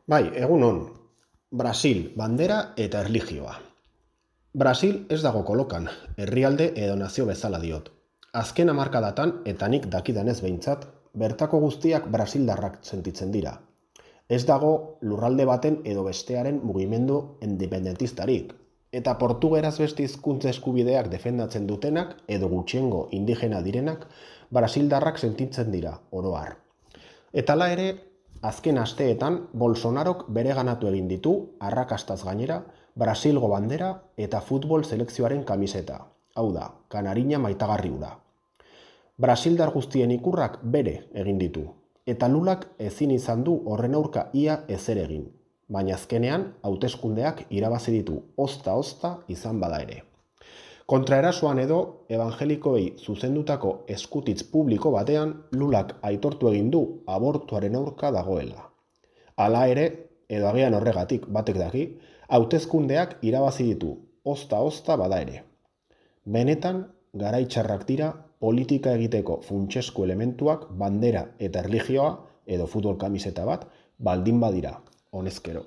Bai, egunon. Brasil, bandera eta erlijioa. Brasil ez dago kolokan, herrialde edo nazio bezala diot. Azken hamarkadatan, eta nik dakidanez behintzat, bertako guztiak brasildarrak sentitzen dira. Ez dago lurralde baten edo bestearen mugimendu independentistarik, eta portugeraz beste hizkuntza eskubideak defendatzen dutenak edo gutxiengo indigena direnak brasildarrak sentitzen dira, oro har. Eta hala ere, azken asteetan Bolsonarok bereganatu egin ditu, arrakastaz gainera, Brasilgo bandera eta futbol selekzioaren kamiseta. Hau da, kanarina maitagarri hura. Brasildar guztien ikurrak bere egin ditu, eta Lulak ezin izan du horren aurka ia ezer egin, baina azkenean hauteskundeak irabazi ditu ozta-ozta izan bada ere. Kontraerasoan edo, evangelikoei zuzendutako eskutitz publiko batean Lulak aitortu egin du abortuaren aurka dagoela. Hala ere, edo agian horregatik batek daki, hauteskundeak irabazi ditu ozta-ozta bada ere. Benetan, garai txarrak dira politika egiteko funtsezko elementuak bandera eta erlijioa edo futbol kamiseta bat baldin badira, honezkero.